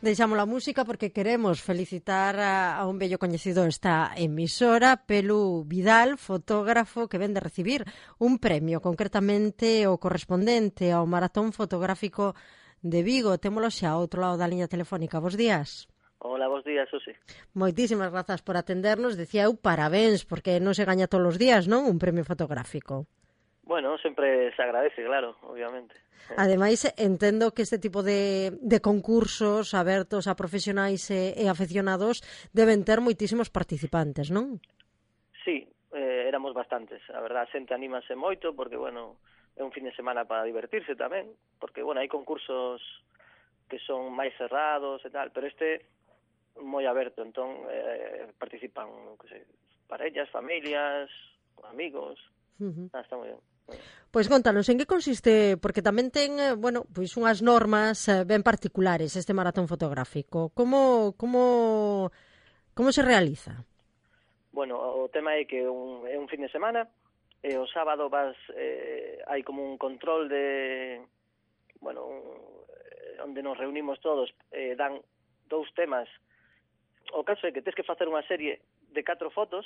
Deixamos a música porque queremos felicitar a un bello coñecido esta emisora, Pelu Vidal, fotógrafo que ven de recibir un premio, concretamente o correspondente ao Maratón Fotográfico de Vigo. Témolo xa ao outro lado da liña telefónica. Bos días. Hola, bos días, Susi. Moitísimas grazas por atendernos. Decía eu parabéns, porque non se gaña todos os días, non? Un premio fotográfico. Bueno, sempre se agradece, claro, obviamente. Ademais, entendo que este tipo de concursos abertos a profesionais e afeccionados deben ter moitísimos participantes, non? Sí, éramos bastantes. A verdad, a xente anímase moito porque, bueno, é un fin de semana para divertirse tamén, porque, bueno, hai concursos que son máis cerrados e tal, pero este moi aberto, entón participan, que sei, parellas, familias, amigos. Está moi ben. Pois contanos, en que consiste, porque tamén ten, pois unhas normas ben particulares este maratón fotográfico. Como se realiza? Bueno, o tema é que é un fin de semana, e o sábado hai como un control de, onde nos reunimos todos, dan 2 temas. O caso é que tens que facer unha serie de 4 fotos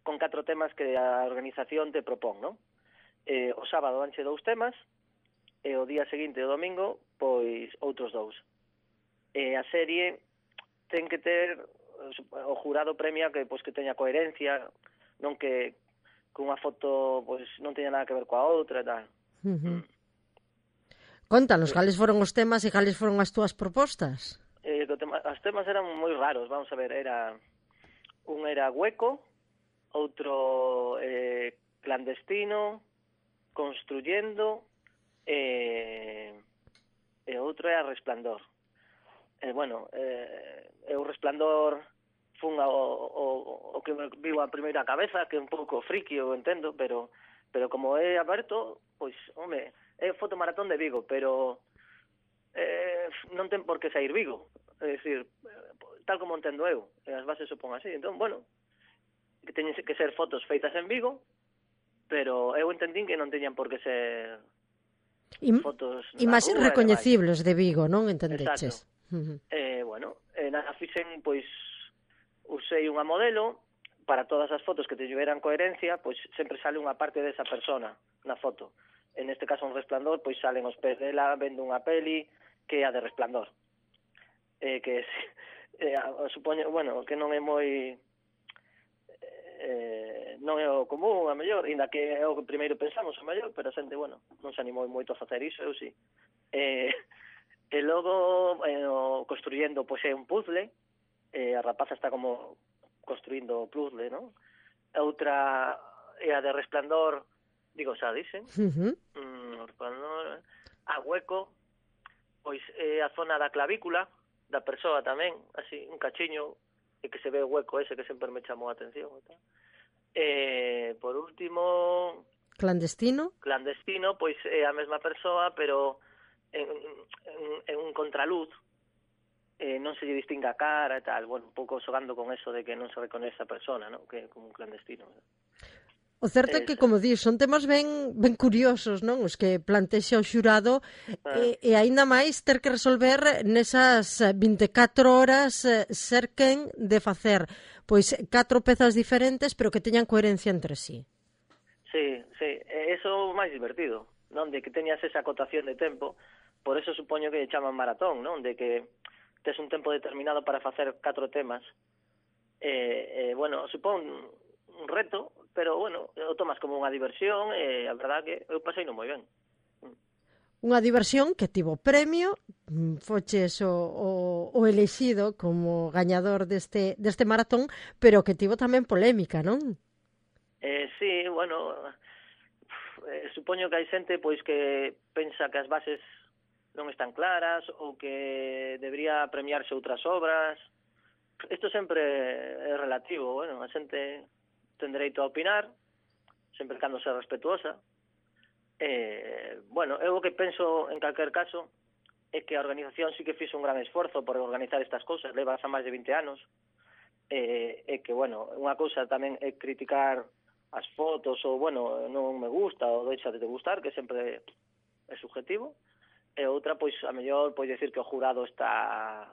con 4 temas que a organización te propón, non? O sábado danche 2 temas e o día seguinte, o domingo, pois outros 2. A serie ten que ter, o jurado premia que teña coherencia, non que unha foto pois non teña nada que ver coa outra e tal. Contanos, cales foron os temas e cales foron as túas propostas? Os temas eran moi raros, vamos a ver, un era hueco, outro clandestino, construyendo, e outro é resplandor. O resplandor fun o que me viu a primeira cabeza, que é un pouco friki, eu entendo, pero como é aberto, pois, home, é fotomaratón de Vigo, pero non ten por que sair Vigo, é dicir, tal como entendo eu, as bases supón así, entón, que teñen que ser fotos feitas en Vigo, pero eu entendín que non teñan por que ser fotos na imaxes rúa, recoñecibles de Vigo, non entendeches? Exacto. Nada, fixen, pois, usei unha modelo para todas as fotos que tiveran coherencia, pois sempre sale unha parte desa persona na foto. En este caso un resplandor, pois salen os pés dela vendo unha peli que é a de Resplandor. Que supoño, que non é moi... non é o común, a mellor, inda que é o que primeiro pensamos, a mellor, pero a xente, non se animou moito a facer iso, eu sí. E logo, construyendo, pois é un puzzle, a rapaza está como construindo o puzzle, non? Outra é a de Resplandor, digo, xa dicen, Resplandor, a hueco, pois é a zona da clavícula, da persoa tamén, así, un cachiño, e que se ve o hueco ese que sempre me chamou a atención. Por último... Clandestino, pois é a mesma persoa, pero en un contraluz, non se lle distingue a cara e tal, un pouco xogando con eso de que non se reconoce a persona, non? Que é como un clandestino. O certo é que, como dis, son temas ben curiosos, non? Os que plantexa o xurado e aínda máis ter que resolver nesas 24 horas ser quen de facer pois 4 pezas diferentes pero que teñan coherencia entre sí. Sí, eso é o máis divertido, non? De que teñas esa acotación de tempo, por eso supoño que chaman maratón, non? De que tes un tempo determinado para facer 4 temas. Supón un reto, pero, o tomas como unha diversión e a verdad que eu pasei non moi ben. Unha diversión que tivo premio, foches o elexido como gañador deste maratón, pero que tivo tamén polémica, non? Sí, supoño que hai xente pois que pensa que as bases non están claras ou que debería premiarse outras obras. Isto sempre é relativo, a xente ten dereito a opinar, sempre cando sea respetuosa. Eu o que penso en calquer caso é que a organización sí que fixo un gran esforzo por organizar estas cousas, leva xa máis de 20 anos, e que, unha cousa tamén é criticar as fotos ou, non me gusta ou deixa de gustar, que sempre é subjetivo, e outra, pois, a mellor, pois decir que o jurado está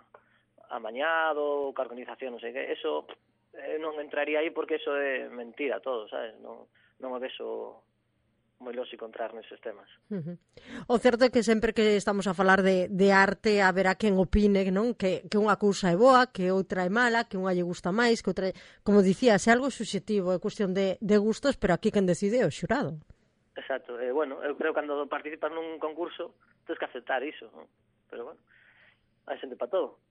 amañado, que a organización non sei que, eso non entraría aí porque eso é mentira todo, sabes? Non é eso moi lóxico entrar neses temas. O certo é que sempre que estamos a falar de arte haberá quen opine, non? Que unha cousa é boa, que outra é mala, que unha lle gusta máis, que outra... Como dicías, é algo subxetivo, é cuestión de gustos, pero aquí quen decide é o xurado. Exacto, bueno, eu creo que cando participas nun concurso tens que aceptar iso, non? Pero bueno, hai xente para todo.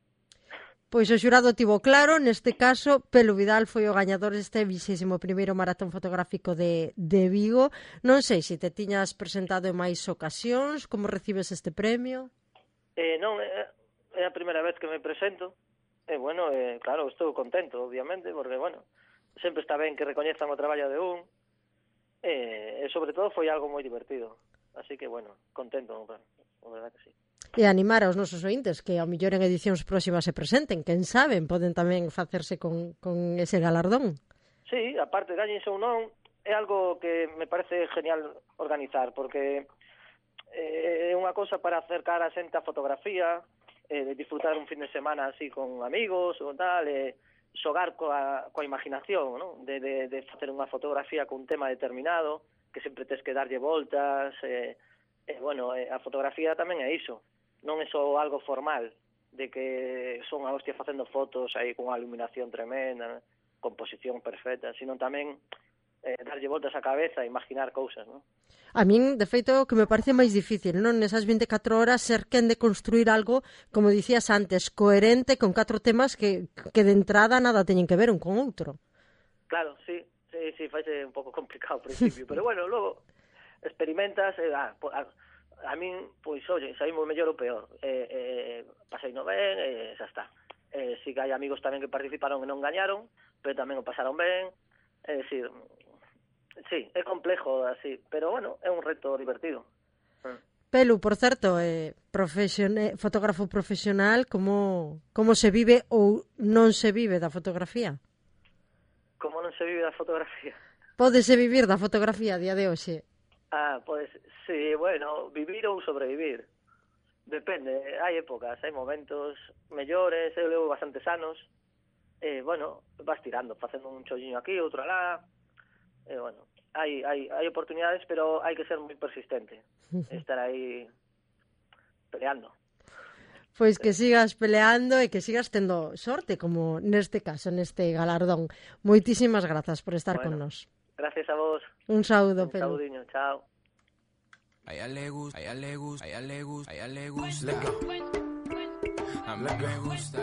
Pois o xurado tivo claro, neste caso, Pelu Vidal foi o gañador deste 21º maratón fotográfico de Vigo. Non sei se te tiñas presentado en máis ocasións, como recibes este premio? Non, é a primeira vez que me presento. Bueno, claro, estou contento, obviamente, porque, bueno, sempre está ben que recoñezan o traballo de un, e sobre todo foi algo moi divertido. Así que, bueno, contento, a verdad que sí. E animar aos nosos ointes que ao mellor en edicións próximas se presenten, quen saben, poden tamén facerse con ese galardón. Sí, aparte, gañense ou non, é algo que me parece genial organizar, porque é unha cousa para acercar a xente a fotografía, disfrutar un fin de semana así con amigos ou tal, xogar coa imaginación, non? De facer unha fotografía con un tema determinado, que sempre tes que darlle voltas, bueno, a fotografía tamén é iso. Non é só algo formal, de que son a hostia facendo fotos aí con unha iluminación tremenda, composición perfecta, sino tamén darlle voltas á cabeza e imaginar cousas, non? A min, de feito, o que me parece máis difícil, non? Nesas 24 horas ser quen de construir algo, como dicías antes, coherente con 4 temas que de entrada nada teñen que ver un con outro. Claro, sí, faise un pouco complicado ao principio, pero bueno, logo experimentas, a min, pois, oye, saímos mellor ou peor, pasei no ben, xa está. Si que hai amigos tamén que participaron e non gañaron, pero tamén o pasaron ben, é dicir, sí, é complejo así, pero bueno, é un reto divertido. Pelu, por certo, fotógrafo profesional, como se vive ou non se vive da fotografía? Como non se vive da fotografía? Pódese vivir da fotografía a día de hoxe? Pois, sí, bueno, vivir ou sobrevivir. Depende, hai épocas, hai momentos mellores, eu levo bastantes anos, bueno, vas tirando, facendo un cholliño aquí, outro alá, bueno, hai oportunidades, pero hai que ser moi persistente, estar aí peleando. Pois que sigas peleando e que sigas tendo sorte, como neste caso, neste galardón. Moitísimas grazas por estar con nós. Gracias a vos. Un saúdo, Pelu. Un saudiño, chao. A ella le gusta, a ella le gusta, a ella le gusta, a ella le gusta. A mí me gusta.